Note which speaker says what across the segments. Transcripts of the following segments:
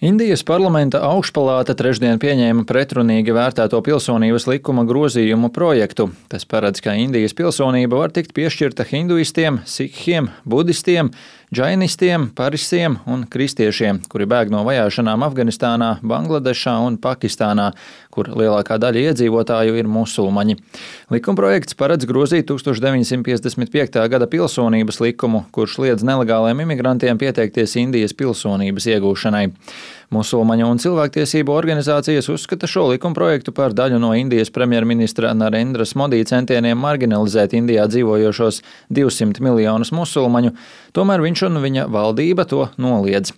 Speaker 1: Indijas parlamenta augšpalāta trešdien pieņēma pretrunīgi vērtēto pilsonības likuma grozījumu projektu. Tas paredz, ka Indijas pilsonība var tikt piešķirta hinduistiem, sikhiem, budistiem, džainistiem, parisiem un kristiešiem, kuri bēg no vajāšanām Afganistānā, Bangladešā un Pakistānā, kur lielākā daļa iedzīvotāju ir musulmaņi. Likumprojekts paredz grozīt 1955. gada pilsonības likumu, kurš liedz nelegāliem imigrantiem pieteikties Indijas pilsonības iegūšanai. Musulmaņu un cilvēktiesību organizācijas uzskata šo likumprojektu par daļu no Indijas premjerministra Narendras Modī centieniem marginalizēt Indijā dzīvojošos 200 miljonus musulmaņu, tomēr viņš un viņa valdība to noliedz.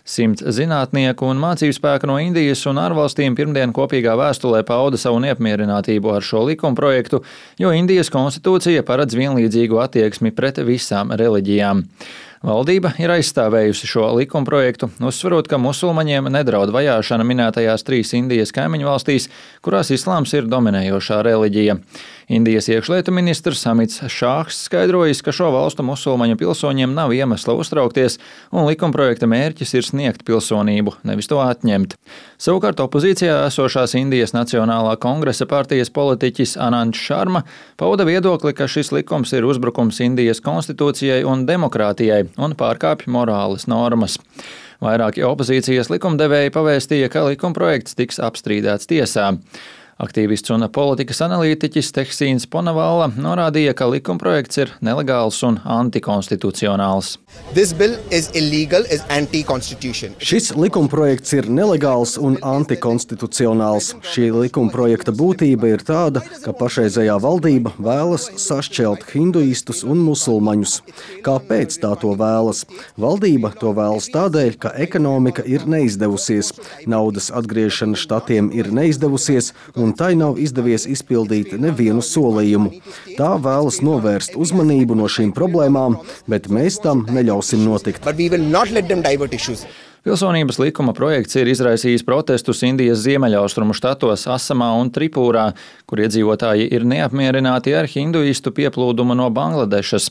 Speaker 1: 100 zinātnieku un mācību spēku no Indijas un ārvalstīm pirmdien kopīgā vēstulē pauda savu neapmierinātību ar šo likumprojektu, jo Indijas konstitūcija paredz vienlīdzīgu attieksmi pret visām reliģijām. Valdība ir aizstāvējusi šo likumprojektu, uzsverot, ka musulmaņiem nedraud vajāšana minētajās 3 Indijas kaimiņu valstīs, kurās islāms ir dominējošā reliģija. Indijas iekšlietu ministrs Amits Šāhs skaidrojis, ka šo valstu musulmaņu pilsoņiem nav iemesla uztraukties, un likumprojekta mērķis ir sniegt pilsonību, nevis to atņemt. Savukārt opozīcijā esošās Indijas Nacionālā kongresa partijas politiķis Anants Šarma pauda viedokli, ka šis likums ir uzbrukums Indijas konstitūcijai un demokrātijai un pārkāpj morāles normas. Vairāki opozīcijas likumdevēji pavēstīja, ka likumprojekts tiks apstrīdēts tiesā. Aktīvists un politikas analītiķis Tehsīns Ponavalla norādīja, ka likumprojekts ir nelegāls un antikonstitucionāls.
Speaker 2: Šis likumprojekts ir nelegāls un antikonstitucionāls. Šī likumprojekta būtība ir tāda, ka pašreizējā valdība vēlas sašķelt hinduistus un musulmaņus. Kāpēc tā to vēlas? Valdība to vēlas tādēļ, ka ekonomika ir neizdevusies, naudas atgriešana štatiem ir neizdevusies, un tai nav izdevies izpildīt nevienu solījumu. Tā vēlas novērst uzmanību no šīm problēmām, bet mēs tam neļausim notikt.
Speaker 1: Pilsonības likuma projekts ir izraisījis protestus Indijas ziemeļaustrumu štatos Asamā un Tripūrā, kur iedzīvotāji ir neapmierināti ar hinduistu pieplūdumu no Bangladešas.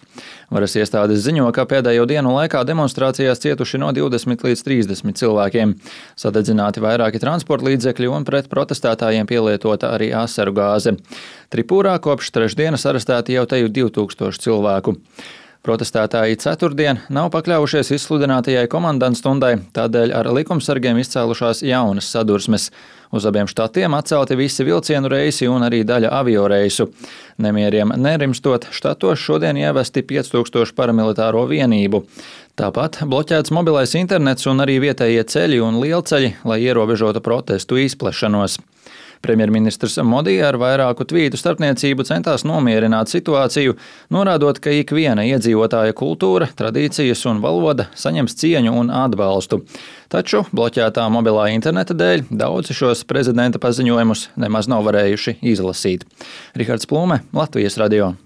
Speaker 1: Varas iestādes ziņo, ka pēdējo dienu laikā demonstrācijās cietuši no 20 līdz 30 cilvēkiem. Sadedzināti vairāki transporta līdzekļi un pret protestētājiem pielietota arī asaru gāze. Tripūrā kopš trešdienas arestēti jau teju 2000 cilvēku. Protestētāji ceturtdien nav pakļaujušies izsludinātajai komandantstundai, tādēļ ar likumsargiem izcēlušās jaunas sadursmes. Uz abiem štatiem atcelti visi vilcienu reisi un arī daļa avioreisu. Nemieriem nerimstot, štatos šodien ievesti 5000 paramilitāro vienību. Tāpat bloķēts mobilais internets un arī vietējie ceļi un lielceļi, lai ierobežotu protestu izplešanos. Premjerministrs Modī ar vairāku tvītu starpniecību centās nomierināt situāciju, norādot, ka ikviena iedzīvotāja kultūra, tradīcijas un valoda saņems cieņu un atbalstu. Taču bloķētā mobilā interneta dēļ daudzi šos prezidenta paziņojumus nemaz nav varējuši izlasīt. Rihards Plūme, Latvijas radio.